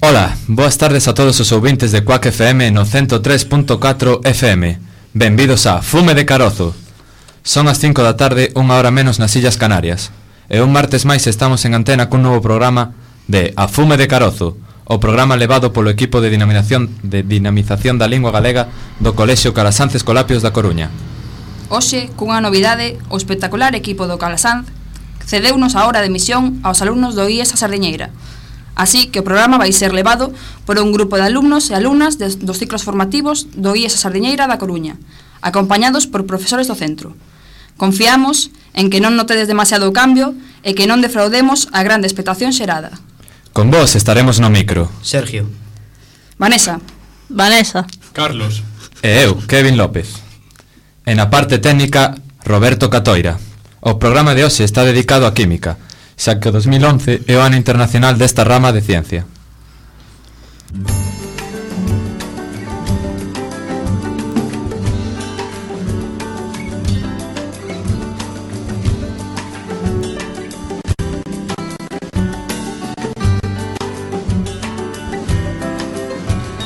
Ola, boas tardes a todos os ouvintes de Quack FM no 103.4 FM. Benvidos a Fume de Carozo. Son as 5 da tarde, unha hora menos nas Illas Canarias. E un martes máis estamos en antena cun novo programa de A Fume de Carozo, o programa levado polo equipo de dinamización da lingua galega do Colexio Calasanz Escolapios da Coruña. Hoxe, cunha novidade, o espectacular equipo do Calasanz cedeunos a hora de emisión aos alumnos do IES A Sardiñeira. Así que o programa vai ser levado por un grupo de alumnos e alumnas dos ciclos formativos do IES A Sardiñeira da Coruña, acompañados por profesores do centro. Confiamos en que non notedes demasiado o cambio e que non defraudemos a grande expectación xerada. Con vos estaremos no micro Sergio, Vanessa, Carlos e eu, Kevin López. E na parte técnica, Roberto Catoira. O programa de hoxe está dedicado á química, xa que o 2011 é o ano internacional desta rama de ciencia.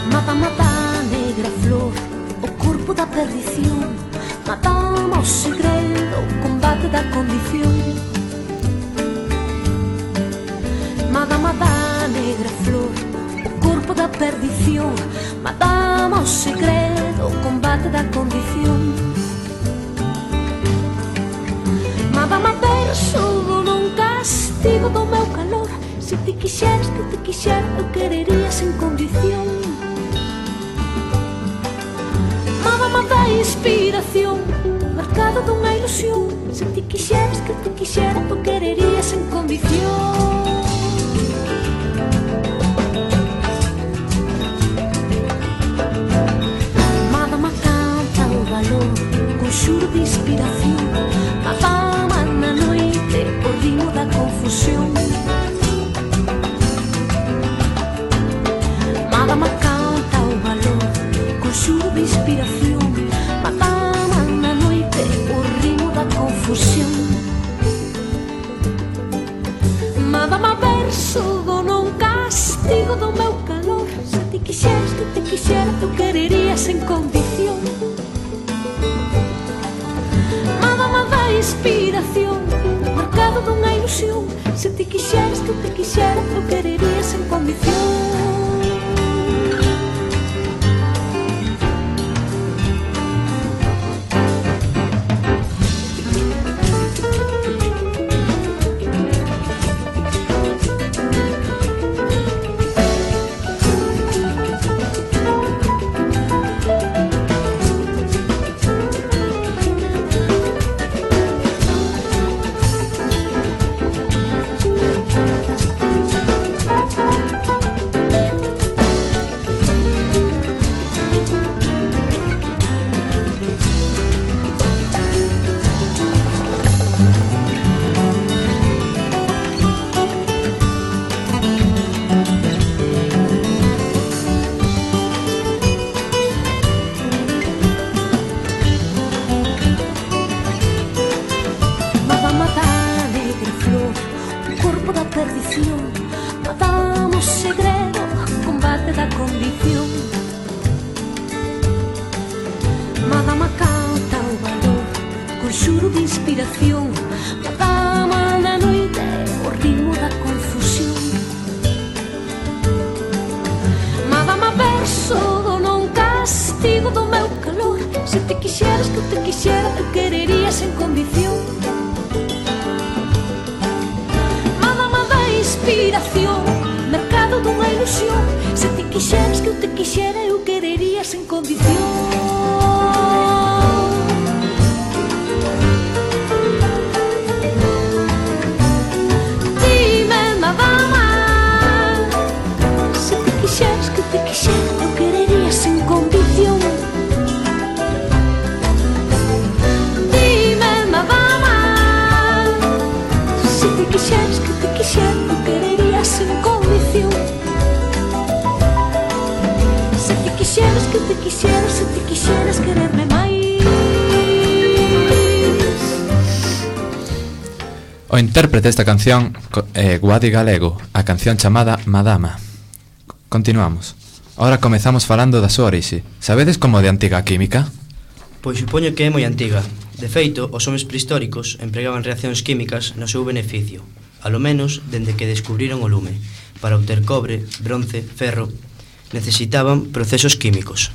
Mata, negra flor, o corpo da perdición. Mata, o segredo, o combate da condición. Mata, negra flor, o corpo da perdición. Mata, o segredo, o combate da condición. Mata, verso nun castigo do meu calor. Se te quixeras que te quixera, eu querería sen condición. Mama da inspiración, marcado dunha ilusión. Se te quixeras que te quixera, eu querería sen condición. Madama canta o valor, con xuro de inspiración. Madama na noite, o ritmo da confusión. Madama canta o valor, con xuro de inspiración. Madama na noite, o ritmo da confusión. Madama verso non castigo do meu calor. Se te quixeras que te quixera, eu querería sen condición. Madama da inspiración, marcado dunha ilusión. Se te quixeras que te quixera, eu querería sen condición. O intérprete desta canción é Guadi Galego, a canción chamada Madama. Continuamos. Ahora comezamos falando da súa orixe. Sabedes como de antiga a química? Pois supoño que é moi antiga. De feito, os homes prehistóricos empregaban reaccións químicas no seu beneficio, alo menos dende que descubriron o lume. Para obter cobre, bronce, ferro, necesitaban procesos químicos.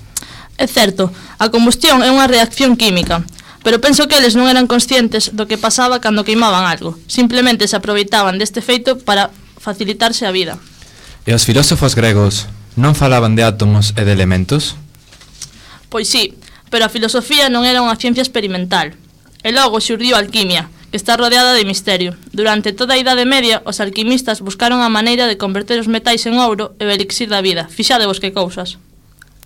É certo, a combustión é unha reacción química, pero penso que eles non eran conscientes do que pasaba cando queimaban algo. Simplemente se aproveitaban deste feito para facilitarse a vida. E os filósofos gregos non falaban de átomos e de elementos? Pois sí, pero a filosofía non era unha ciencia experimental. E logo xurdiu a alquimia, que está rodeada de misterio. Durante toda a Idade Media, os alquimistas buscaron a maneira de converter os metais en ouro e o elixir da vida. Fixadevos que cousas.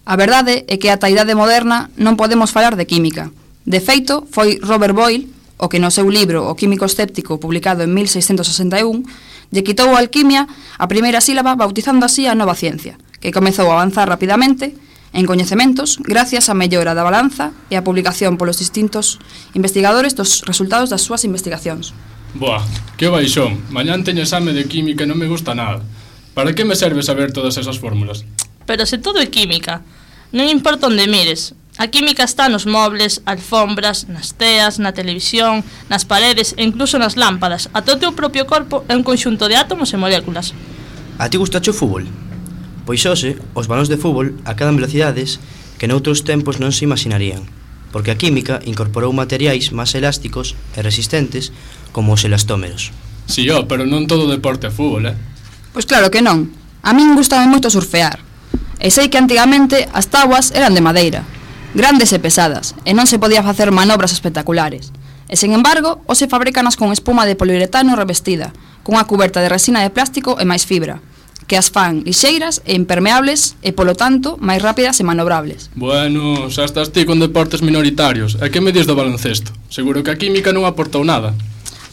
A verdade é que ata a idade moderna non podemos falar de química. De feito, foi Robert Boyle o que no seu libro O químico escéptico, publicado en 1661, lle quitou a alquimia a primeira sílaba, bautizando así a nova ciencia, que comezou a avanzar rapidamente en coñecementos gracias á mellora da balanza e a publicación polos distintos investigadores dos resultados das súas investigacións. Boa, que baixón. Mañán teño exame de química e non me gusta nada. Para que me serve saber todas esas fórmulas? Pero se todo é química, non importa onde mires. A química está nos mobles, alfombras, nas teas, na televisión, nas paredes e incluso nas lámpadas. Ata o teu propio corpo é un conxunto de átomos e moléculas. A ti gustache o fútbol? Pois hoxe, os balóns de fútbol acadan velocidades que noutros tempos non se imaginarían, porque a química incorporou materiais máis elásticos e resistentes como os elastómeros. Si, pero non todo deporte é fútbol, Pois claro que non. A min gustaba moito surfear. E sei que antigamente as táboas eran de madeira, grandes e pesadas, e non se podía facer manobras espectaculares. E, sen embargo, hoxe fabrícanas con espuma de poliuretano revestida, cunha cuberta de resina de plástico e máis fibra, que as fan lixeiras e impermeables e, polo tanto, máis rápidas e manobrables. Bueno, xa estás ti con deportes minoritarios. E que me dis do baloncesto? Seguro que a química non aportou nada.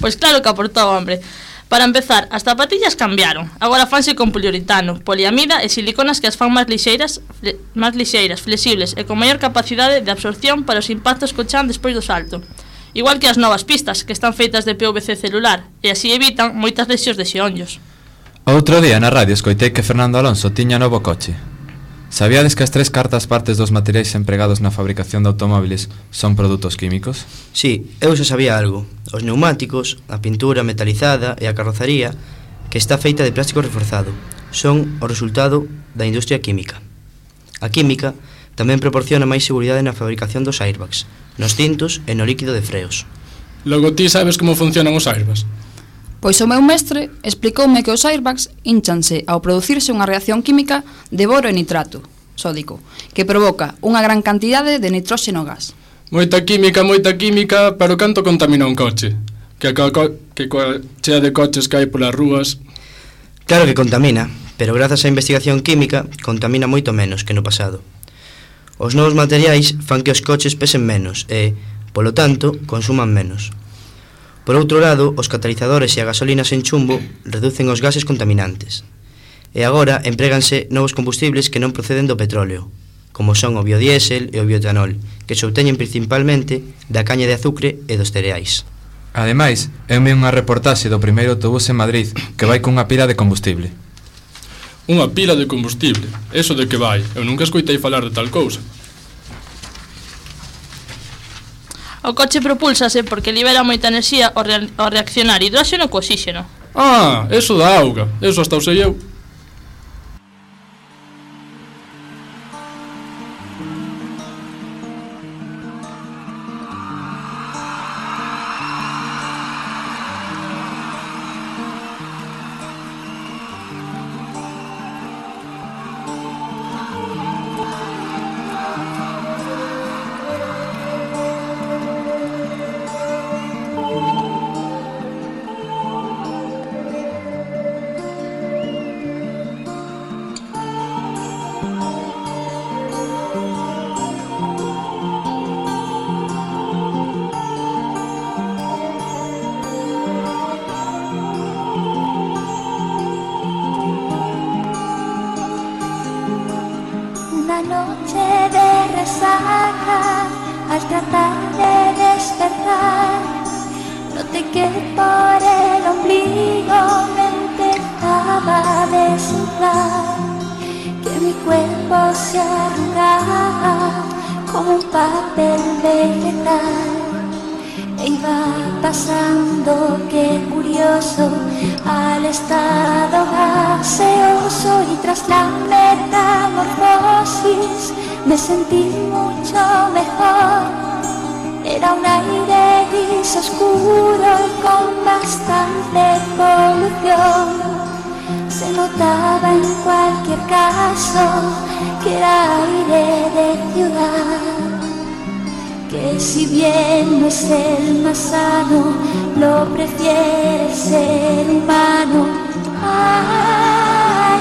Pois claro que aportou, hombre. Para empezar, as zapatillas cambiaron. Agora fanse con poliuretano, poliamida e siliconas que as fan máis lixeiras, flexibles e con maior capacidade de absorción para os impactos co chan despois do salto. Igual que as novas pistas, que están feitas de PVC celular, e así evitan moitas lesións de xeonllos. Outro día na radio escoitei que Fernando Alonso tiña novo coche. Sabíades que as 3 cuartas partes dos materiais empregados na fabricación de automóviles son produtos químicos? Sí, eu xa sabía algo. Os neumáticos, a pintura metalizada e a carrozaría, que está feita de plástico reforzado, son o resultado da industria química. A química tamén proporciona máis seguridade na fabricación dos airbags, nos cintos e no líquido de freos. Logo ti sabes como funcionan os airbags? Pois o meu mestre explicoume que os airbags hinchanse ao producirse unha reacción química de boro e nitrato sódico, que provoca unha gran cantidade de nitróxeno gas. Moita química, pero canto contamina un coche? Que coa chea de coches que hai polas rúas... Claro que contamina, pero grazas á investigación química contamina moito menos que no pasado. Os novos materiais fan que os coches pesen menos e, polo tanto, consuman menos. Por outro lado, os catalizadores e a gasolina sen chumbo reducen os gases contaminantes. E agora empréganse novos combustibles que non proceden do petróleo, como son o biodiésel e o bioetanol, que se obteñen principalmente da caña de azucre e dos cereais. Ademais, eu vi unha reportaxe do primeiro autobús en Madrid que vai cunha pila de combustible. Unha pila de combustible? Eso de que vai? Eu nunca escoitei falar de tal cousa. O coche propúlsase porque libera moita enerxía ao reaccionar hidróxeno co oxíxeno. Eso da auga. Eso hasta o sei eu. Una noche de resaca, al tratar de despertar, noté que por el ombligo me empezaba a desnudar. mi cuerpo se arrugaba como un papel vegetal. E iba pasando, qué curioso, al estado gaseoso, y tras la metamorfosis me sentí mucho mejor. Era un aire gris oscuro y con bastante polución. Se notaba en cualquier caso que era aire de ciudad, que si bien no es el más sano, lo prefiere el ser humano.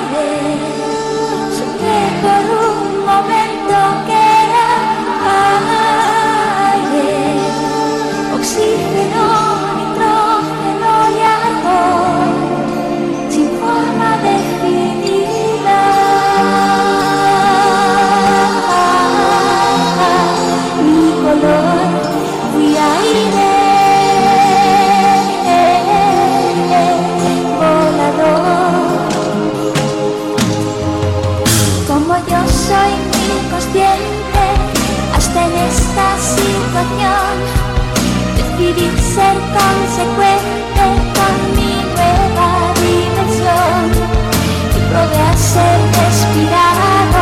Aire, soñé por un momento que era aire, oxígeno, nitrógeno y argón, sin forma definida. Mi color fui aire, volador. Como yo soy muy consciente, hasta en esta situación decidí ser consecuente con mi nueva dimensión y probé a ser respirado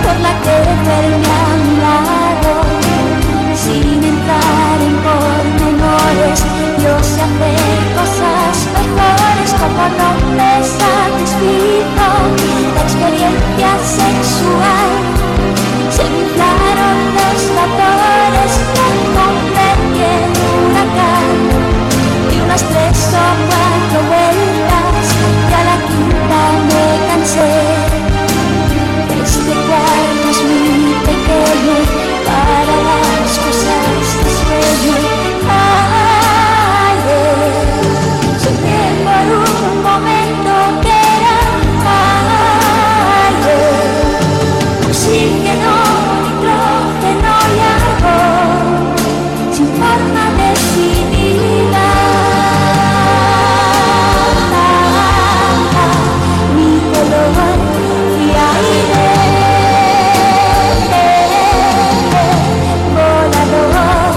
por la que verme a mi lado. Sin entrar en pormenores, yo sé hacer cosas mejores. Como no me satisfizo la experiencia sexual, se me inflaron los vapores, me convertí en un huracán. Y unas 3 o 4 vueltas y a la quinta me cansé. Este cuarto es muy pequeño para las cosas de sueño. Soñé por un momento que era aire, oxígeno, nitrógeno y argón, sin forma definida. Mi color fui aire, volador.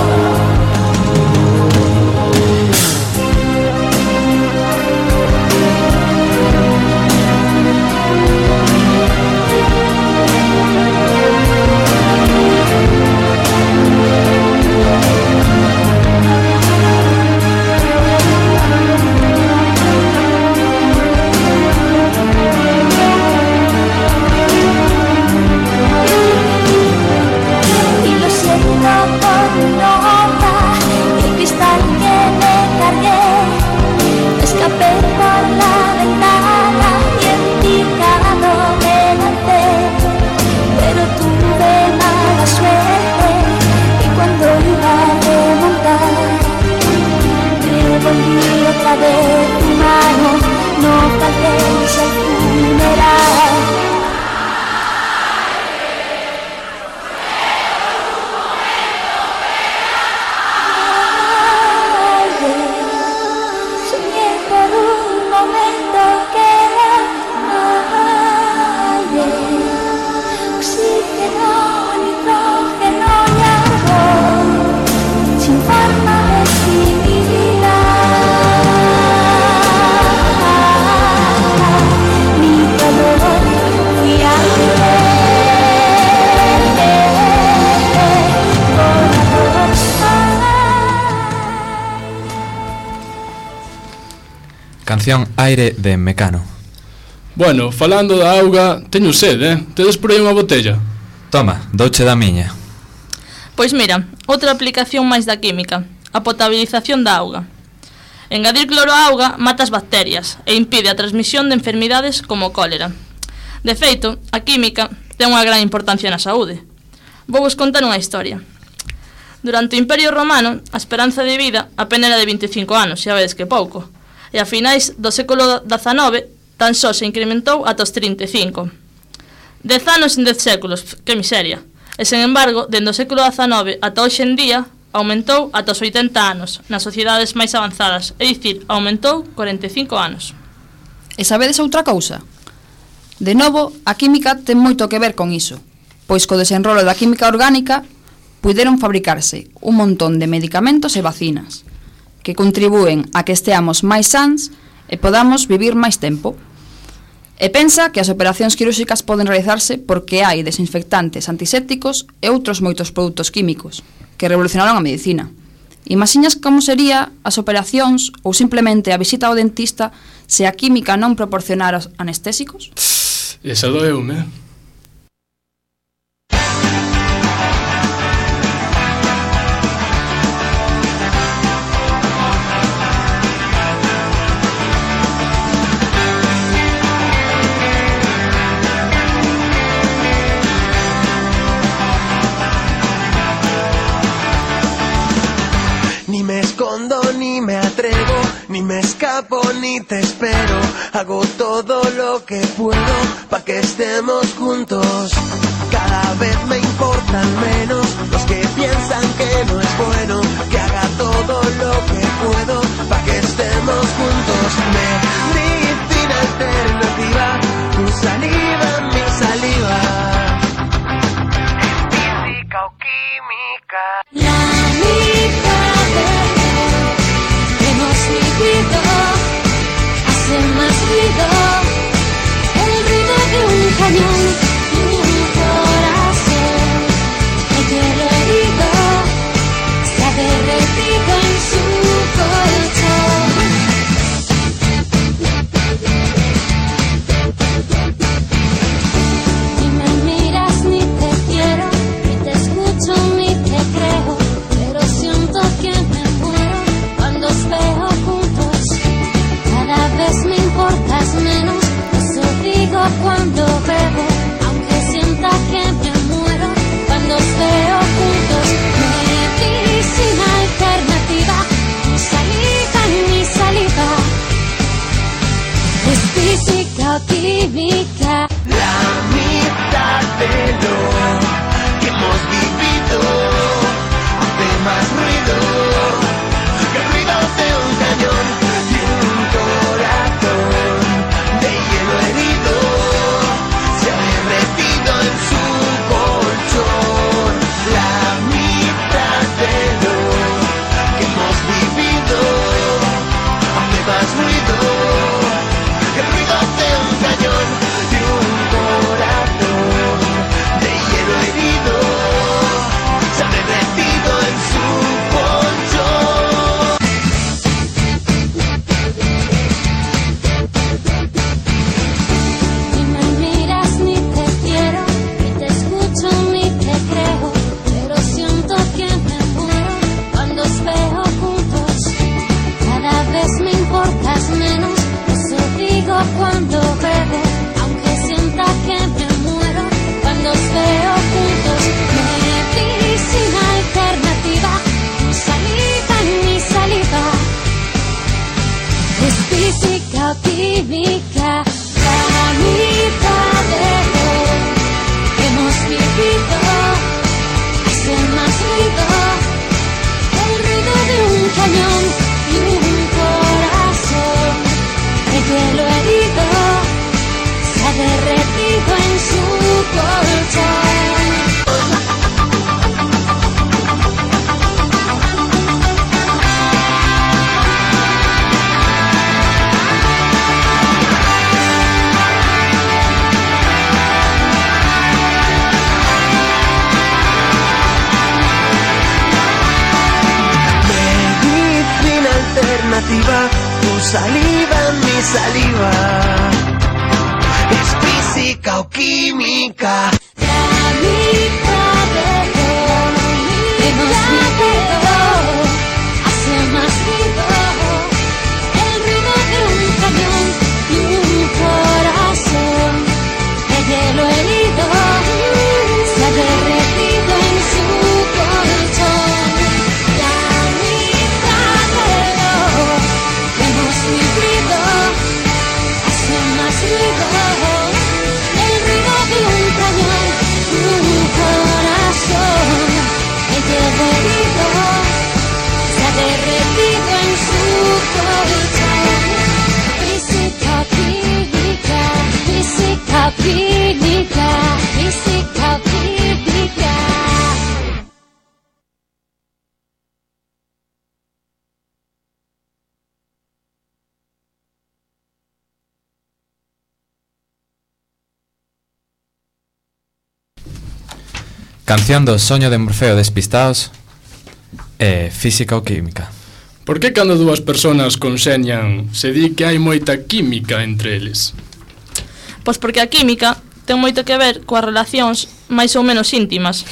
Y lo siento por mi nota y el cristal que me cargué. Escapé por la ventana y en picado me lancé, pero tuve mala suerte y cuando iba a remontar me volví otra vez humano. No faltéis al funeral. Soñé por un momento que era aire, oxígeno, nitrógeno y argón, sin forma definida. Mi color fui aire, volador. Canción Aire de Mecano. Bueno, falando da auga, teño sede, Tedes por aí unha botella? Toma, douche da miña. Pois mira, outra aplicación máis da química, a potabilización da auga. Engadir cloro á auga mata as bacterias e impide a transmisión de enfermidades como o cólera. De feito, a química ten unha gran importancia na saúde. Vou vos contar unha historia. Durante o Imperio Romano, a esperanza de vida apenas era de 25 anos, xa vedes que pouco. E a finais do século XIX, tan só se incrementou ata os 35. 10 anos en 10 séculos, que miseria. E, sen embargo, dende o século XIX ata hoxe en día, aumentou ata os 80 anos nas sociedades máis avanzadas, é dicir, aumentou 45 anos. E sabedes outra cousa? De novo, a química ten moito que ver con iso, pois co desenrolo da química orgánica puideron fabricarse un montón de medicamentos e vacinas que contribúen a que esteamos máis sans e podamos vivir máis tempo. E pensa que as operacións quirúrxicas poden realizarse porque hai desinfectantes, antisépticos e outros moitos produtos químicos que revolucionaron a medicina. Imaxinas como sería as operacións ou simplemente a visita ao dentista se a química non proporcionara anestésicos? Esa doeume. Ni me escondo, ni me atrevo, ni me escapo, ni te espero. Hago todo lo que puedo pa' que estemos juntos. Cada vez me importan menos los que piensan que no es bueno. Que haga todo lo que puedo pa' que estemos juntos. Medicina alternativa, tu saliva, mi saliva. Física o química. La mitad de lo que hemos vivido hace más ruido, el ruido de un cañón y un corazón. El hielo herido se ha derretido en su colchón. Ni me miras, ni te quiero, ni te escucho, ni te creo, pero siento que me muero cuando os veo juntos. Cada vez me importas menos, eso digo cuando bebo, aunque sienta que me muero cuando os veo juntos. Medicina alternativa, mi saliva, mi saliva, es física o química. La mitad de lo que hemos vivido hace más ruido que el ruido de un cañón y un corazón de hielo herido se ha derretido en su colchón. La mitad de lo que hemos vivido hace más ruido que el ruido de un cañón y un corazón de hielo herido se ha derretido en su colchón. Ni me miras, ni te quiero, ni te escucho, ni te creo, pero siento que me muero cuando os veo juntos. Cada vez me importas menos, eso digo cuando bebo, aunque sienta que me muero cuando os veo juntos. Medicina alternativa, mi saliva, mi saliva, es física o química. La mitad de lo que hemos vivido hace más ruido, el ruido de un cañón y un corazón. El hielo herido se ha derretido en su colchón. Medicina alternativa, tu saliva, mi saliva, es física o química. La mitad de lo que hemos vivido hace más ruido, el ruido de un cañón y un corazón. El hielo herido se ha derretido en su colchón. La mitad de lo que hemos vivido hace más ruido, el ruido de un cañón Canción do Soño de Morfeo Despistados e Física ou Química. Por que cando dúas persoas conseñan se di que hai moita química entre eles? Pois porque a química ten moito que ver coas relacións máis ou menos íntimas.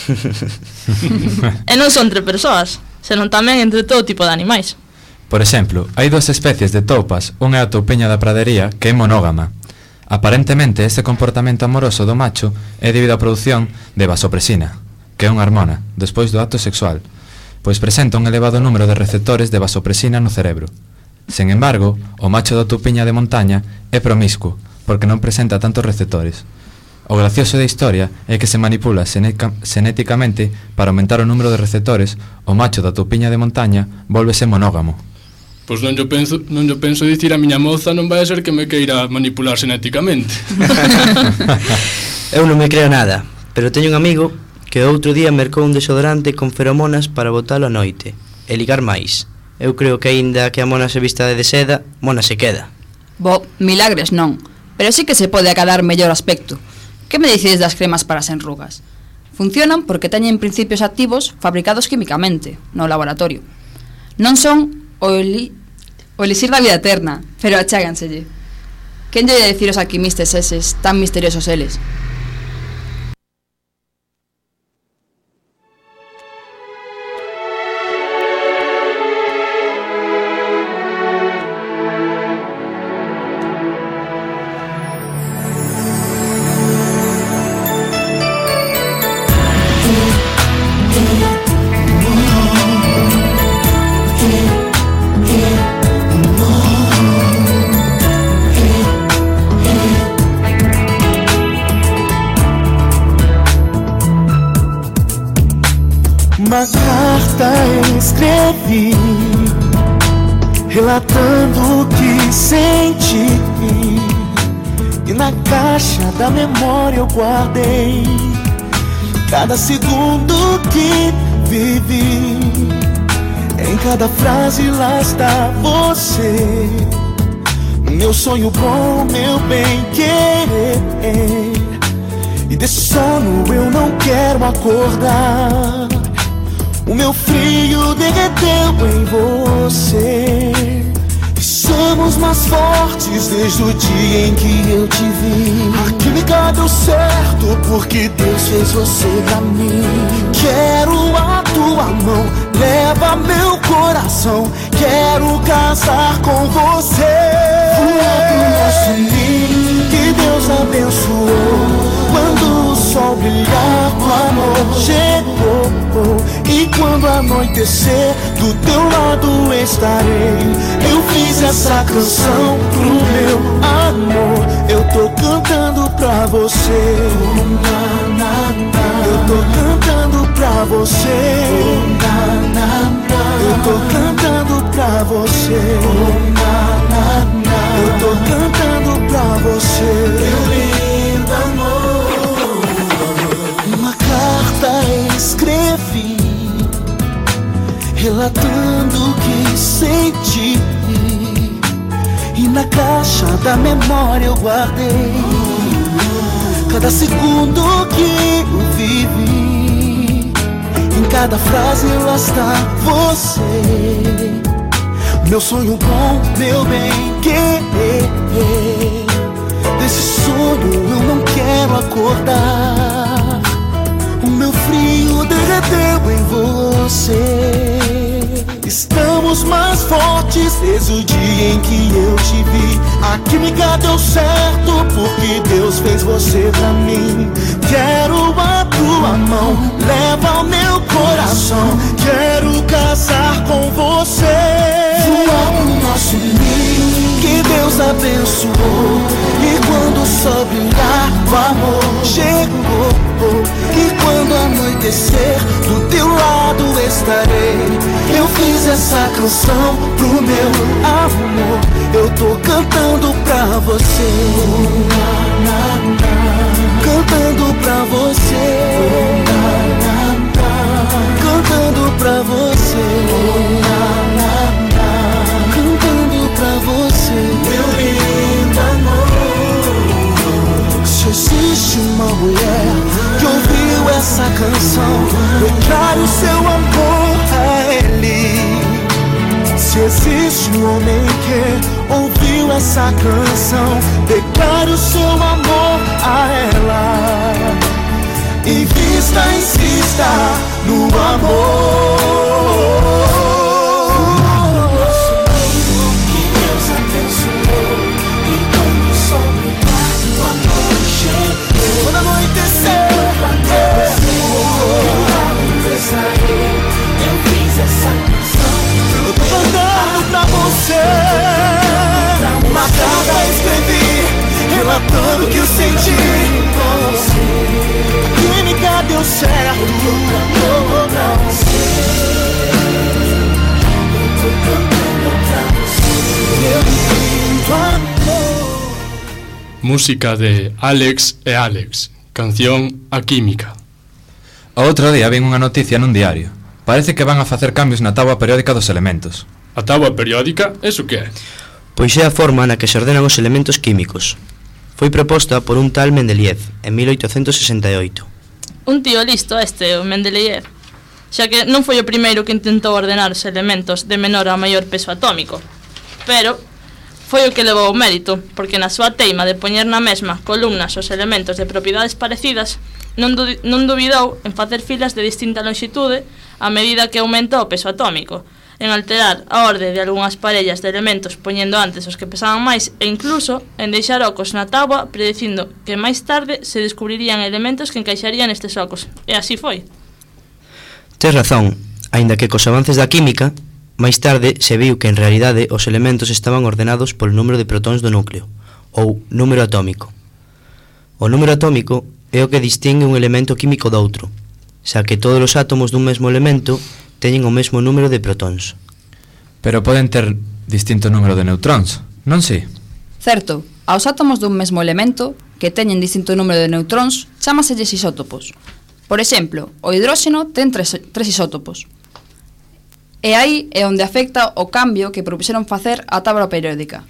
E non son entre persoas, senón tamén entre todo tipo de animais. Por exemplo, hai dúas especies de toupas, unha é a toupiña da pradería, que é monógama. Aparentemente, este comportamento amoroso do macho é debido á produción de vasopresina, que é unha hormona, despois do acto sexual, pois presenta un elevado número de receptores de vasopresina no cerebro. Sen embargo, o macho da toupiña de montaña é promiscuo, porque non presenta tantos receptores. O gracioso da historia é que se manipula xenéticamente para aumentar o número de receptores, o macho da toupiña de montaña vólvese monógamo. Pois non yo penso dicir a miña moza non vai a ser que me queira manipular xenéticamente. Eu non me creo nada, pero teño un amigo que outro día mercou un desodorante con feromonas para botalo a noite e ligar máis. Eu creo que aínda que a mona se vista de seda, mona se queda. Bo, milagres non, pero sí que se pode acadar mellor aspecto. Que me dicides das cremas para as enrugas? Funcionan porque teñen principios activos fabricados químicamente no laboratorio. Non son o elixir da vida eterna, pero acháganselle. Quen lle de decir os alquimistas eses tan misteriosos eles? Uma carta escrevi, relatando o que senti, e na caixa da memória eu guardei cada segundo que vivi. Em cada frase lá está você, meu sonho bom, meu bem querer. E desse sono eu não quero acordar. O meu frio derreteu em você, e somos mais fortes desde o dia em que eu te vi. A química deu certo porque Deus fez você pra mim. Quero a tua mão, leva meu coração. Quero casar com você. Voar pro nosso ninho que Deus abençoou. Quando o sol brilhar, o amor chegou. E quando anoitecer, do teu lado estarei. Eu fiz essa canção pro meu amor. Eu tô cantando pra você. Eu tô cantando pra você. Eu tô cantando pra você. Eu tô cantando pra você. Meu lindo amor. Uma carta escrevi, relatando o que senti, e na caixa da memória eu guardei cada segundo que eu vivi. Em cada frase lá está você, meu sonho bom, meu bem querer. Desse sono eu não quero acordar. O meu frio derreteu em você. Estamos mais fortes desde o dia em que eu te vi. A química deu certo porque Deus fez você pra mim. Quero a tua mão, leva o meu coração. Quero casar com você. Voar pro nosso ninho que Deus abençoou. E quando o sol brilhar, o amor chegou. E quando anoitecer, do teu lado estarei. Eu fiz essa canção pro meu amor. Eu tô cantando pra você. Cantando pra você. Cantando pra você. Cantando pra você. Meu lindo amor. Se existe uma mulher que ouviu essa canção, declare o seu amor a ele. Se existe um homem que ouviu essa canção, declare o seu amor a ela. Invista, insista no amor. Que Deus abençoou, e quando o sol brilhar, o amor chegou. Quando anoiteceu, eu fiz essa canção. Eu tô cantando pra você. Uma carta escrevi, relatando o que eu senti. A química deu certo. Eu tô cantando pra você. Eu tô cantando pra você. Meu lindo amor. Música de Alex e Alex. Canción A Química. O outro día vin unha noticia nun diario. Parece que van a facer cambios na táboa periódica dos elementos. A táboa periódica, eso que é? Pois é a forma na que se ordenan os elementos químicos. Foi proposta por un tal Mendeleev en 1868. Un tío listo o Mendeleev, xa que non foi o primeiro que intentou ordenar os elementos de menor a maior peso atómico, pero foi o que levou o mérito, porque na súa teima de poñer na mesma columnas os elementos de propiedades parecidas, non dubidou en facer filas de distinta longitude a medida que aumenta o peso atómico, en alterar a orde de algunhas parellas de elementos poñendo antes os que pesaban máis e incluso en deixar ocos na táboa predicindo que máis tarde se descubrirían elementos que encaixarían nestes ocos, e así foi. Tes razón, aínda que cos avances da química, máis tarde se viu que en realidade os elementos estaban ordenados polo número de protóns do núcleo, ou número atómico. O número atómico é o que distingue un elemento químico do outro, xa que todos os átomos dun mesmo elemento teñen o mesmo número de protóns. Pero poden ter distinto número de neutróns, non si? Certo, aos átomos dun mesmo elemento que teñen distinto número de neutróns chámaselles isótopos. Por exemplo, o hidróxeno ten tres isótopos. E aí é onde afecta o cambio que propuxeron facer a táboa periódica.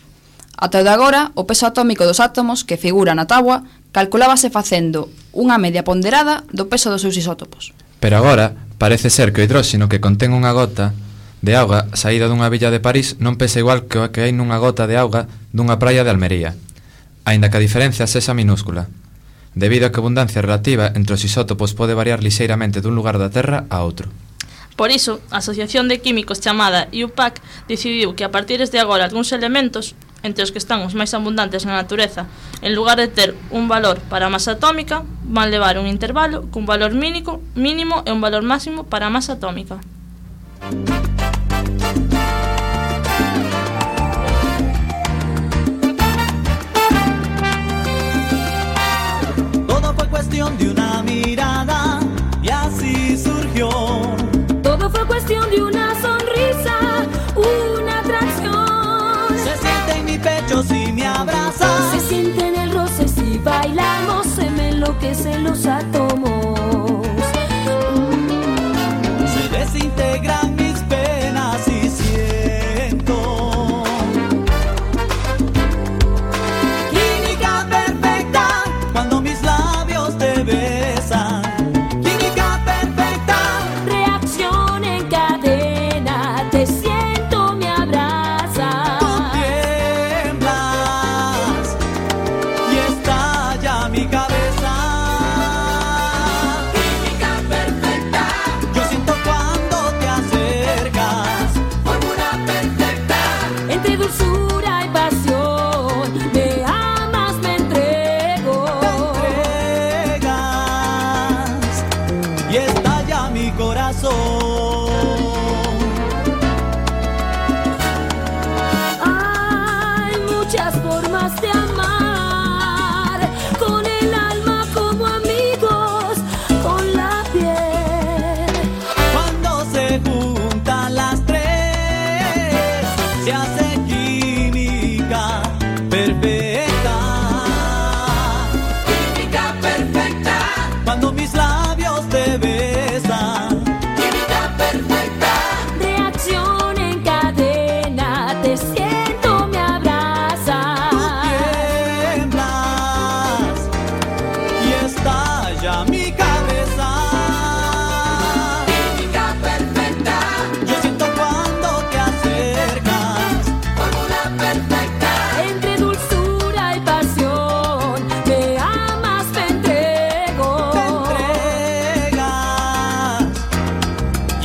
Ata o de agora, o peso atómico dos átomos que figura na táboa calculábase facendo unha media ponderada do peso dos seus isótopos. Pero agora, parece ser que o hidróxeno que contén unha gota de auga saída dunha villa de París non pesa igual que o que hai nunha gota de auga dunha praia de Almería, aínda que a diferencia sexa minúscula, debido a que a abundancia relativa entre os isótopos pode variar lixeiramente dun lugar da Terra a outro. Por iso, a Asociación de Químicos chamada IUPAC decidiu que a partir de agora algúns elementos, entre os que están os máis abundantes na natureza, en lugar de ter un valor para a masa atómica, van levar un intervalo cun valor mínimo e un valor máximo para a masa atómica. Todo fue cuestión de una mirada y así surgió. Todo fue cuestión de una sonrisa, una atracción. Se siente en mi pecho si me abrazas. Se siente en el roce si bailamos, se me enloquecen los átomos. Se desintegran mis penas y siento química perfecta cuando mis labios te besan. Química perfecta. Reacción en cadena, te siento, me abrazas. Tú tiemblas y estalla mi cabeza. Química perfecta. Yo siento cuando te acercas. Fórmula perfecta. Entre dulzura y pasión, me amas, me entrego. Entregas y estalla mi corazón. Hay muchas formas de amar, con el alma como amigos, con la piel. Cuando se juntan las tres, se hace química perfecta. Química perfecta. Cuando mis labios te besan. Química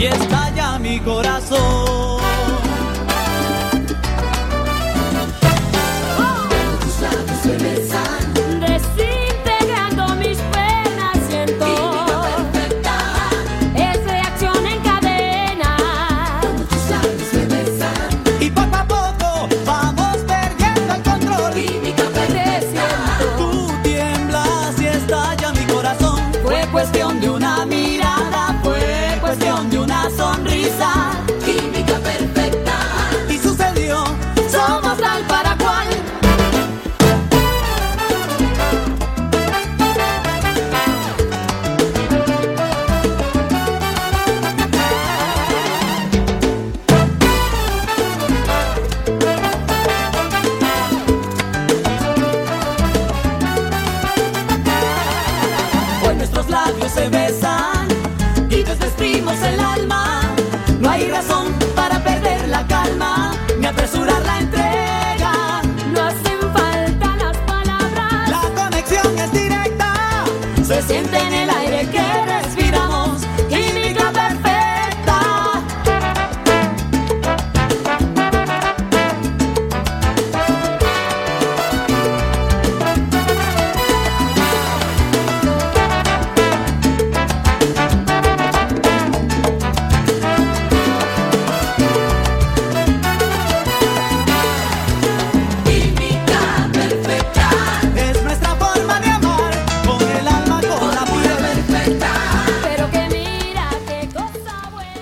y estalla mi corazón. Tus labios se besan, desintegrando mis penas, siento química perfecta, es reacción en cadena. Cuando tus labios se besan Y poco a poco vamos perdiendo el control. química perfecta, Tú tiemblas y estalla mi corazón. fue cuestión de una mirada, fue cuestión de una sonrisa, química perfecta, Y sucedió. somos tal para cual. Hoy nuestros labios se besan y desvestimos el alma. No hay razón para perder la calma ni apresurar la entrega. No hacen falta las palabras, La conexión es directa. se siente en el aire que respiramos, química perfecta. Química perfecta, Es nuestra forma de amar, con el alma, con la piel. perfecta, pero que mira qué cosa buena.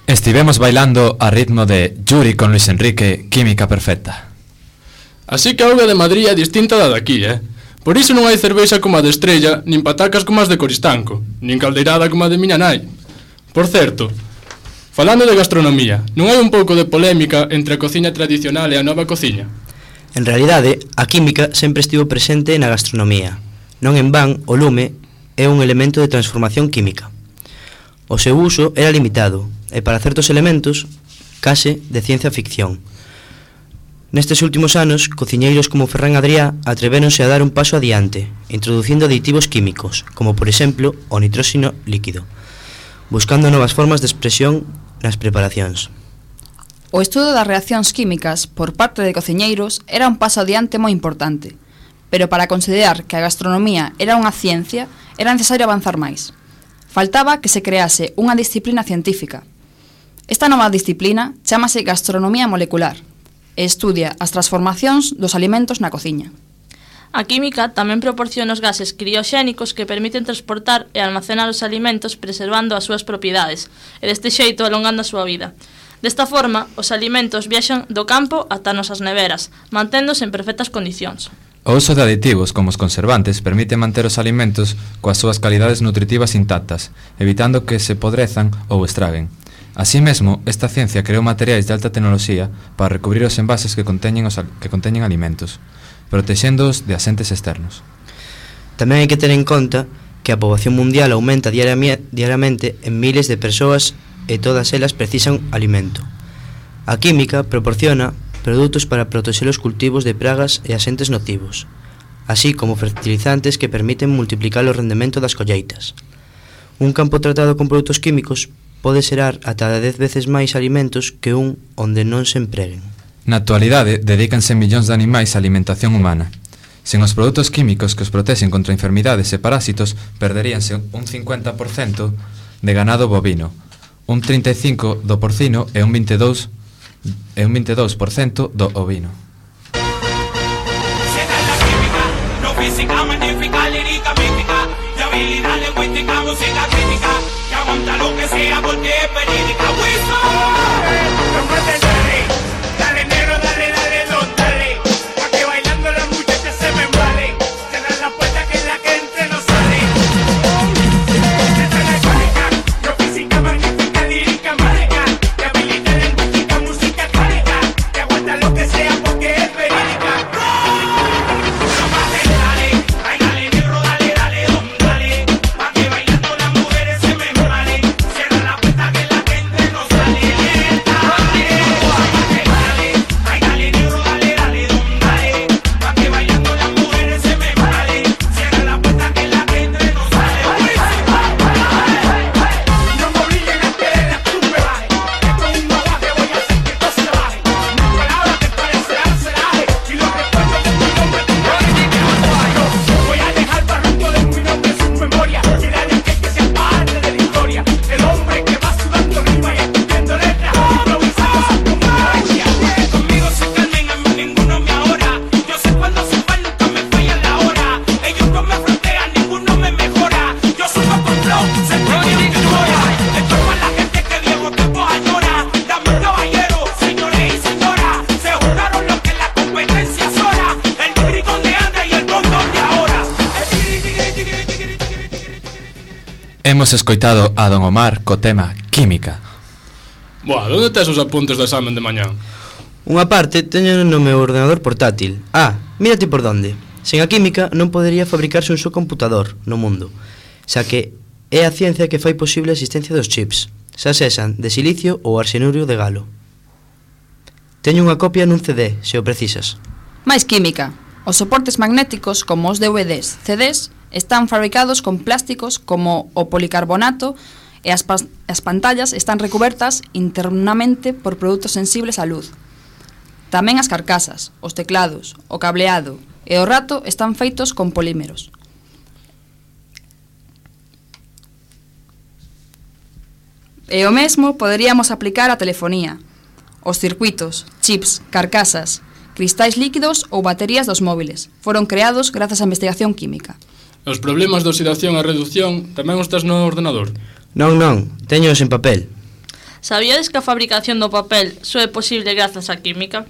Estivemos bailando a ritmo de Yuri con Luis Enrique, Química Perfecta. Así que a auga de Madrid é distinta da daqui, Por iso non hai cervexa como a de Estrella, nin patacas como as de Coristanco, nin caldeirada como a de miña nai. Por certo, falando de gastronomía, non hai un pouco de polémica entre a cociña tradicional e a nova cociña? En realidade, a química sempre estivo presente na gastronomía. Non en van, o lume é un elemento de transformación química. O seu uso era limitado, e para certos elementos, case de ciencia ficción. Nestes últimos anos, cociñeiros como Ferran Adrià atrevéronse a dar un paso adiante, introducindo aditivos químicos, como por exemplo o nitróxeno líquido, buscando novas formas de expresión nas preparacións. O estudo das reaccións químicas por parte de cociñeiros era un paso adiante moi importante, pero para considerar que a gastronomía era unha ciencia, era necesario avanzar máis. Faltaba que se crease unha disciplina científica. Esta nova disciplina chámase gastronomía molecular e estudia as transformacións dos alimentos na cociña. A química tamén proporciona os gases crioxénicos que permiten transportar e almacenar os alimentos preservando as súas propiedades e deste xeito alongando a súa vida. Desta forma, os alimentos viaxan do campo ata nosas neveras, manténdose en perfectas condicións. O uso de aditivos como os conservantes permite manter os alimentos coas súas calidades nutritivas intactas, evitando que se podrezan ou estraguen. Así mesmo, esta ciencia creou materiais de alta tecnoloxía para recubrir os envases que conteñen alimentos, protexéndoos de axentes externos. Tamén hai que ter en conta que a poboación mundial aumenta diariamente en miles de persoas e todas elas precisan alimento. A química proporciona produtos para protexer os cultivos de pragas e axentes nocivos, así como fertilizantes que permiten multiplicar o rendemento das colleitas. Un campo tratado con produtos químicos pode xerar ata 10 veces máis alimentos que un onde non se empreguen. Na actualidade, dedícanse millóns de animais á alimentación humana. Sen os produtos químicos que os protexen contra enfermidades e parásitos, perderíanse un 50% de ganado bovino, un 35% do porcino e un 22% do ovino. Será la química, no física, magnífica, lírica, mística, de habilidad lingüística, música crítica, que aguanta lo que sea porque es verídica. No puede ser, dale negro, dale, dale, don, dale, pa' que bailando las muchachas se me embalen, cerrar la puerta que la que entre no sale. Será la química, no física, magnífica, lírica, mágica, de habilidad lingüística, música crítica, que aguanta lo que sea porque es verídica. No pases, dale, ay, dale negro, dale, dale, don, dale, pa' que bailando las mujeres se me embalen, cierra la puerta que la gente no sale. hemos escoitado a Don Omar co tema Química. Boa, onde tes os apuntes do examen de mañán? Unha parte teño no meu ordenador portátil. Mírate por donde. Sen a química non podería fabricarse un só computador no mundo, xa que é a ciencia que fai posible a existencia dos chips, xa sexan de silicio ou arsenurio de galo. Teño unha copia nun CD, se o precisas. Máis química. Os soportes magnéticos, como os DVDs, CDs, están fabricados con plásticos como o policarbonato e as pantallas están recubertas internamente por produtos sensibles á luz. Tamén as carcasas, os teclados, o cableado e o rato están feitos con polímeros. E o mesmo poderíamos aplicar á telefonía. Os circuitos, chips, carcasas, cristais líquidos ou baterías dos móviles foron creados grazas á investigación química. Os problemas de oxidación e reducción tamén os tes no ordenador? Non, teños en papel. Sabíades que a fabricación do papel só é posible grazas á química?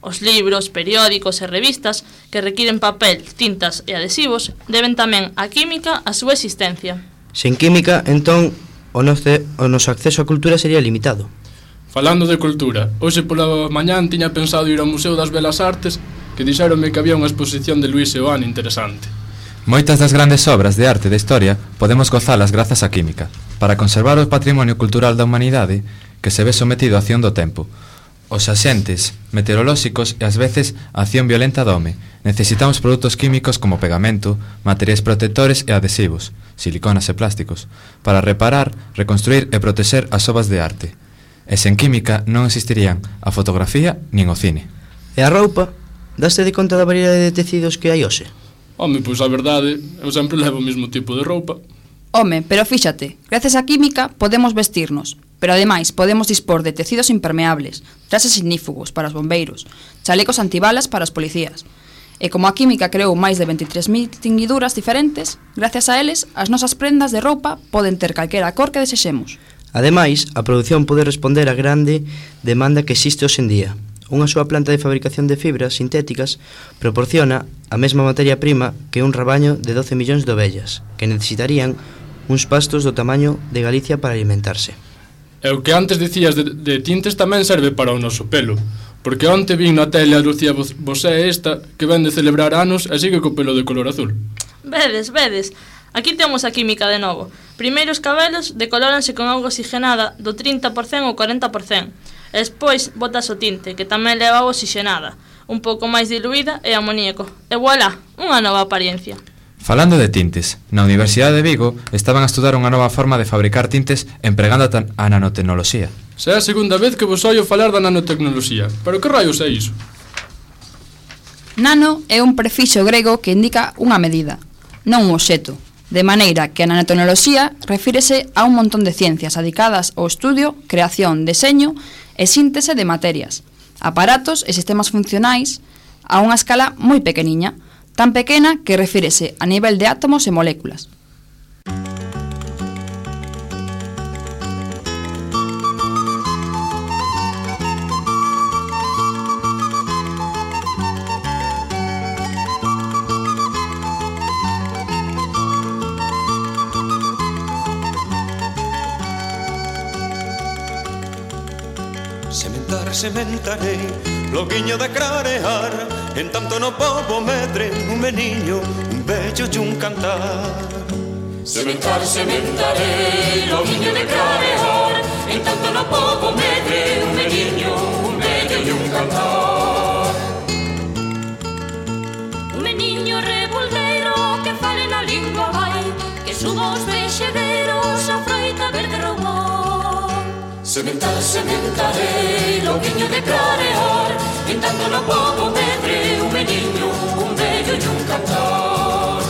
Os libros, periódicos e revistas que requiren papel, tintas e adhesivos deben tamén á química a súa existencia. Sen química, entón, o noso acceso á cultura sería limitado. Falando de cultura, hoxe pola mañán tiña pensado ir ao Museo das Belas Artes, que dixéronme que había unha exposición de Luis Seoane interesante. Moitas das grandes obras de arte da historia podemos gozalas grazas á química, para conservar o patrimonio cultural da humanidade que se ve sometido á acción do tempo. Os axentes meteorolóxicos e ás veces a acción violenta do home. Necesitamos produtos químicos como pegamento, materiais protectores e adhesivos, siliconas e plásticos, para reparar, reconstruir e protexer as obras de arte. E sen química non existirían a fotografía nin o cine. E a roupa? Daste de conta da variedade de tecidos que hai hoxe? Home, pois a verdade, eu sempre levo o mesmo tipo de roupa. Home, pero fíxate, gracias á química podemos vestirnos, pero ademais podemos dispor de tecidos impermeables, traxes ignífugos para os bombeiros, chalecos antibalas para os policías. E como a química creou máis de 23.000 tinguiduras diferentes, gracias a eles, as nosas prendas de roupa poden ter calquera cor que desexemos. Ademais, a produción pode responder á grande demanda que existe hoxe en día. Unha súa planta de fabricación de fibras sintéticas proporciona a mesma materia prima que un rabaño de 12 millóns de ovellas, que necesitarían uns pastos do tamaño de Galicia para alimentarse. E o que antes dicías de tintes tamén serve para o noso pelo, porque onte vin na tele a Lucía Bosé esta, que ven de celebrar anos e sigue co pelo de color azul. Vedes, aquí temos a química de novo. Primeiro os cabelos decolóranse con auga oxigenada do 30% ou 40%. E despois botas o tinte, que tamén leva auga oxigenada, un pouco máis diluída e amoníaco. E voilà, unha nova apariencia. Falando de tintes, na Universidade de Vigo estaban a estudar unha nova forma de fabricar tintes empregando a nanotecnoloxía. Xa é a segunda vez que vos oio falar da nanotecnoloxía, pero que raios é iso? Nano é un prefixo grego que indica unha medida, non un obxeto, de maneira que a nanotecnoloxía refírese a un montón de ciencias dedicadas ao estudio, creación, deseño e síntese de materias, aparatos e sistemas funcionais a unha escala moi pequeniña, tan pequena que refírese a nivel de átomos e moléculas. Sementarei, loguiño de clarear, en tanto no pobo medre un meniño, un bello e un cantar. Sementarei, loguiño de clarear, en tanto no pobo medre un meniño, un bello e un cantar. Un meniño revoldeiro que fale na lingua vai, que suba os vexedeiros a froita verde roubou. Sementarei, loguiño de clarear, en tanto no pobo medre un meniño, un bello e un cantar.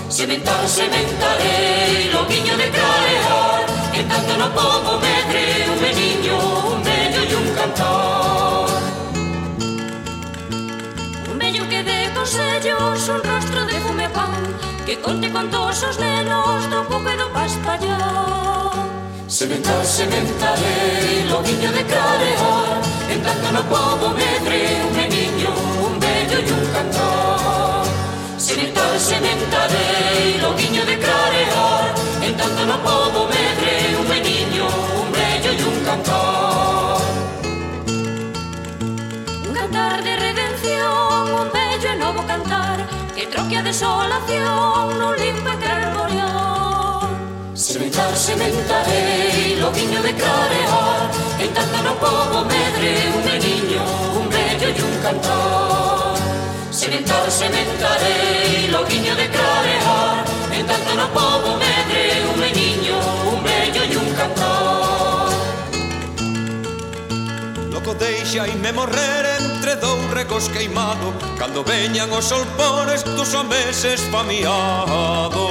Sementarei, loguiño de clarear, en tanto no pobo medre un meniño, un bello e un cantar. Un bello que dé consellos, un rostro de fume pan, que conte contos os nenos do pouco e do paspallán. Sementarei, loguiño de clarear, en tanto no pobo medre un meniño, un bello e un cantar. Sementarei, loguiño de clarear, en tanto no pobo desolación non limpa aquel boreal. Sementarei, loguiño de clarear, en tanto no pobo medre un meniño, un bello e un cantar. Sementarei, loguiño de clarear, en tanto no pobo medre un meniño, un bello e un cantar. Loco deixaime morrer entre dous regos queimado, cando veñan os solpones dos homeses famiados.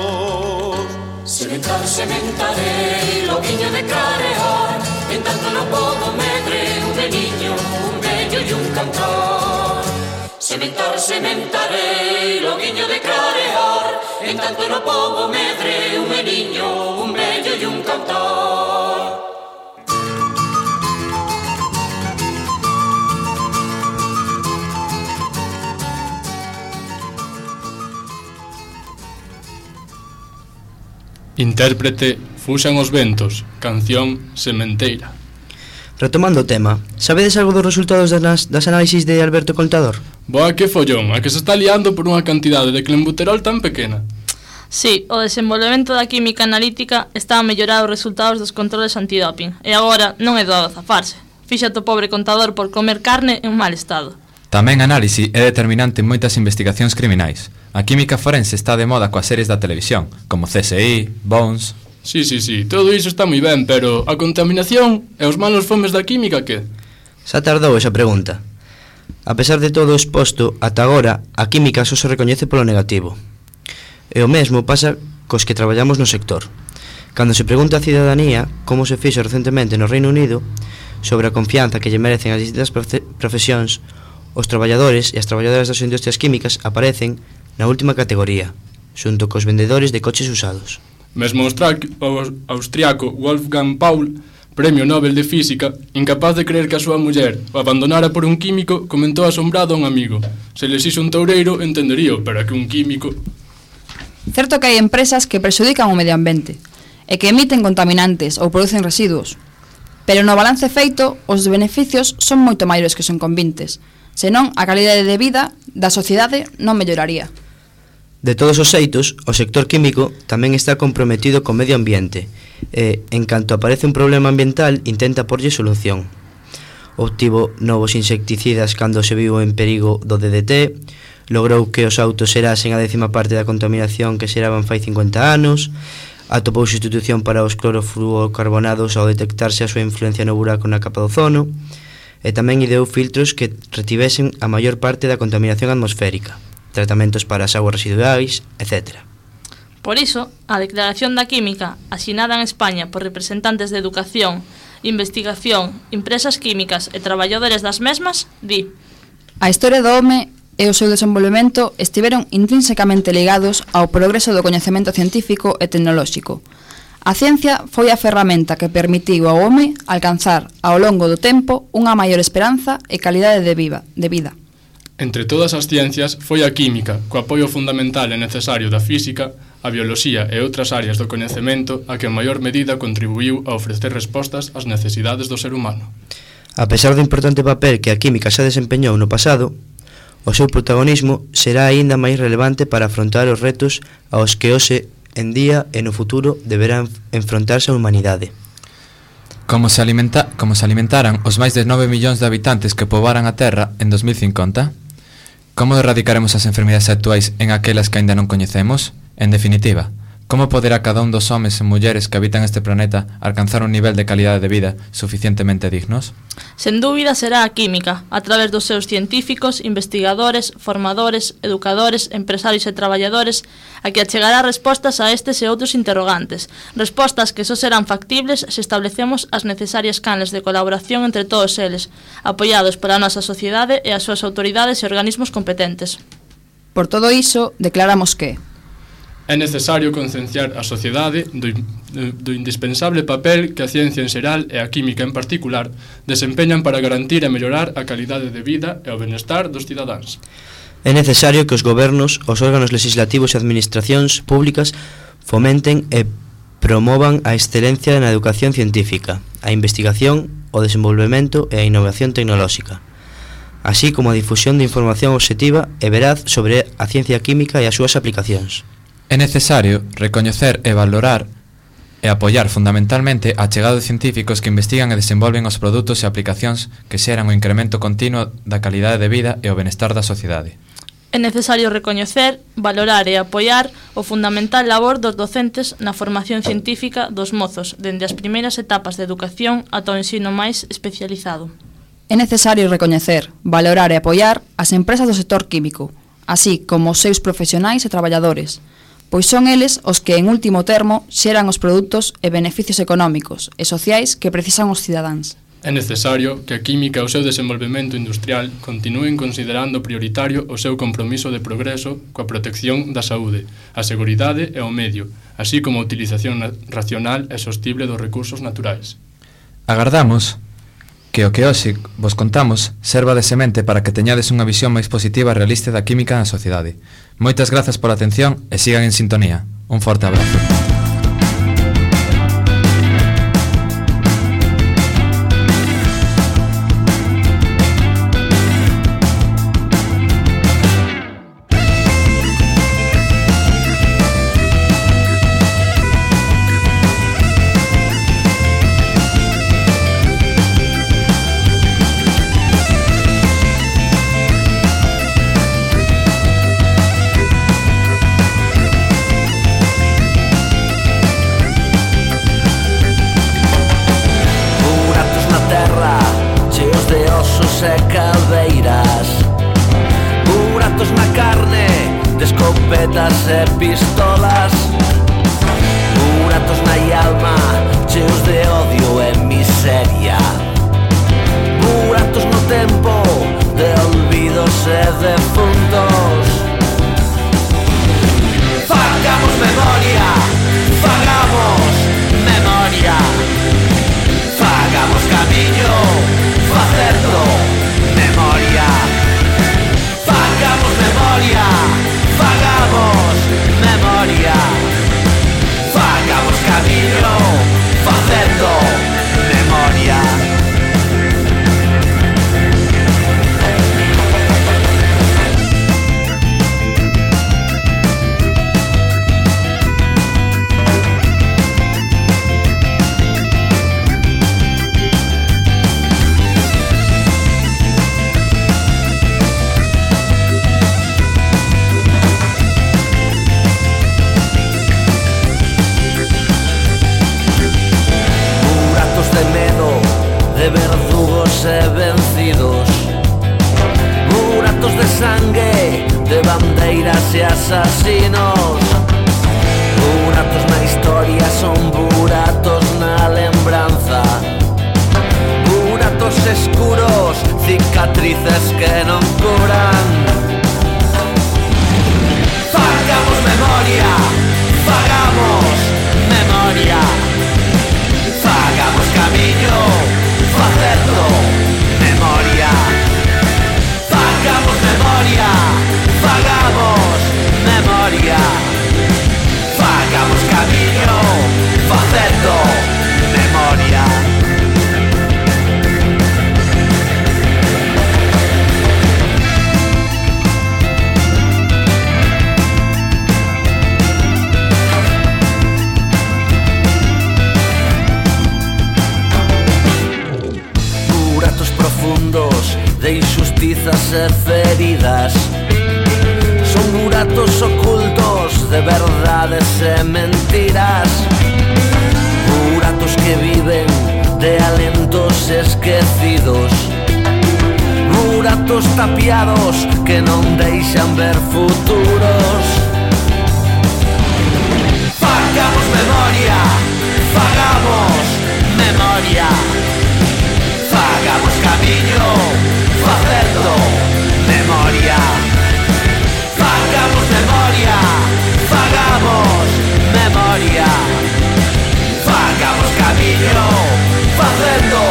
Sementarei, loguiño de clarear, en tanto no pobo medre un meniño, un bello e un cantar. Sementarei, loguiño de clarear, en tanto no pobo medre un meniño, un bello e un cantar. Intérprete Fuxan os ventos, canción Sementeira. Retomando o tema, sabedes algo dos resultados das análisis de Alberto Contador? Boa que follón, a que se está liando por unha cantidade de clenbuterol tan pequena. Sí, o desenvolvemento da química analítica está a mellorar os resultados dos controles antidoping e agora non é doado zafarse. Fíxate o pobre Contador por comer carne en mal estado. Tamén a análise é determinante en moitas investigacións criminais. A química forense está de moda coas series da televisión, como CSI, Bones... Sí, todo iso está moi ben, pero a contaminación e os malos fomes da química, que? Xa tardou esa pregunta. A pesar de todo o exposto, ata agora, a química só se recoñece polo negativo. E o mesmo pasa cos que traballamos no sector. Cando se pregunta á cidadanía como se fixo recentemente no Reino Unido sobre a confianza que lle merecen as distintas profesións, os traballadores e as traballadoras das industrias químicas aparecen na última categoría, xunto cos vendedores de coches usados. Mesmo o austriaco Wolfgang Paul, Premio Nobel de Física, incapaz de creer que a súa muller o abandonara por un químico, comentou asombrado a un amigo: se les hizo un toureiro, entenderío, pero que un químico... Certo que hai empresas que prexudican o medio ambiente e que emiten contaminantes ou producen residuos, pero no balance feito, os beneficios son moito maiores que os inconvintes, senón a calidade de vida da sociedade non melloraría. De todos os xeitos, o sector químico tamén está comprometido co medio ambiente e, en canto aparece un problema ambiental, intenta porlle solución. Obtivo novos insecticidas cando se viu en perigo do DDT, logrou que os autos xerasen a 10ª parte da contaminación que xeraban fai 50 anos, atopou sustitución para os clorofluorocarbonados ao detectarse a súa influencia no buraco na capa do ozono, e tamén ideou filtros que retivesen a maior parte da contaminación atmosférica, tratamentos para as aguas residuais, etc. Por iso, a Declaración da Química, asinada en España por representantes de educación, investigación, empresas químicas e traballadores das mesmas, di: a historia do home e o seu desenvolvemento estiveron intrínsecamente ligados ao progreso do coñecemento científico e tecnolóxico. A ciencia foi a ferramenta que permitiu ao home alcanzar ao longo do tempo unha maior esperanza e calidade de vida. Entre todas as ciencias, foi a química, co apoio fundamental e necesario da física, a bioloxía e outras áreas do coñecemento a que en maior medida contribuiu a ofrecer respostas ás necesidades do ser humano. A pesar do importante papel que a química xa desempeñou no pasado, o seu protagonismo será aínda máis relevante para afrontar os retos aos que hoxe en día e no futuro deberán enfrontarse a humanidade. Como se alimentaran os máis de 9 millóns de habitantes que poboaran a Terra en 2050? Como erradicaremos as enfermidades actuais en aquelas que aínda non coñecemos? En definitiva, como poderá cada un dos homes e mulleres que habitan este planeta alcanzar un nivel de calidade de vida suficientemente dignos? Sen dúbida será a química, a través dos seus científicos, investigadores, formadores, educadores, empresarios e traballadores, a que achegará respostas a estes e outros interrogantes, respostas que só serán factibles se establecemos as necesarias canles de colaboración entre todos eles, apoiados pola nosa sociedade e as súas autoridades e organismos competentes. Por todo iso, declaramos que é necesario concienciar a sociedade do indispensable papel que a ciencia en xeral e a química en particular desempeñan para garantir e mellorar a calidade de vida e o benestar dos cidadáns. É necesario que os gobernos, os órganos legislativos e administracións públicas fomenten e promovan a excelencia na educación científica, a investigación, o desenvolvemento e a innovación tecnolóxica. así como a difusión de información obxectiva e veraz sobre a ciencia química e as súas aplicacións. É necesario recoñecer e valorar e apoiar fundamentalmente a chegada de científicos que investigan e desenvolven os produtos e aplicacións que xeran o incremento continuo da calidade de vida e o benestar da sociedade. É necesario recoñecer, valorar e apoiar o fundamental labor dos docentes na formación científica dos mozos, dende as primeiras etapas de educación ata o ensino máis especializado. É necesario recoñecer, valorar e apoiar as empresas do sector químico, así como os seus profesionais e traballadores, pois son eles os que, en último termo, xeran os produtos e beneficios económicos e sociais que precisan os cidadáns. É necesario que a química e o seu desenvolvemento industrial continúen considerando prioritario o seu compromiso de progreso coa protección da saúde, a seguridade e o medio, así como a utilización racional e sostible dos recursos naturais. Agardamos que o que hoxe vos contamos serva de semente para que teñades unha visión máis positiva e realista da química na sociedade. Moitas grazas pola atención e sigan en sintonía. Un forte abrazo. E pistolas, buratos na alma, cheos de odio e miseria, buratos no tempo de olvidos e defuntos. Fagamos memoria, fagamos memoria, fagamos camiño, facendo memoria, fagamos memoria, fagamos memoria, fagamos camiño, facendo memoria. De verdugos e vencidos, buratos de sangue, de bandeiras e asasinos, buratos na historia son buratos na lembranza, buratos escuros, cicatrices que non curan. Fagamos memoria, fagamos memoria, fagamos camiño, facendo memoria, fagamos memoria, fagamos memoria, fagamos camiño, facendo memoria. De injustizas e feridas, son buratos ocultos de verdades e mentiras, buratos que viven de alentos esquecidos, buratos tapiados que non deixan ver futuros. Fagamos memoria, fagamos memoria, fagamos camiño, facendo memoria, fagamos memoria, fagamos memoria, fagamos camiño, facendo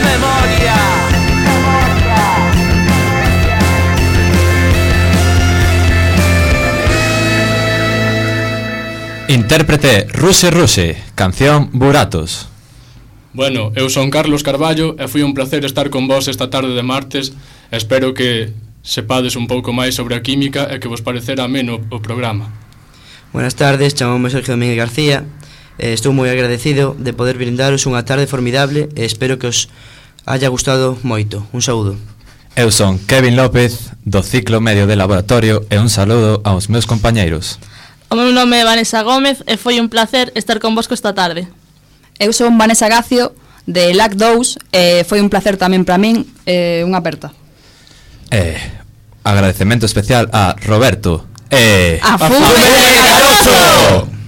memoria. Intérprete Ruse Ruse, canción Buratos. Bueno, eu son Carlos Carballo e foi un placer estar con vos esta tarde de martes. Espero que sepades un pouco máis sobre a química e que vos parecerá ameno o programa. Buenas tardes, chamamos Sergio Domínguez García. Estou moi agradecido de poder brindaros unha tarde formidable e espero que os haya gustado moito. Un saúdo. Eu son Kevin López, do ciclo medio de laboratorio, e un saludo aos meus compañeiros. O meu nome é Vanessa Gómez e foi un placer estar convosco esta tarde. Eu son Vanessa Gacio, de LAC 2, e foi un placer tamén para min, unha aperta. Agradecemento especial a Roberto A Fume de Carozo!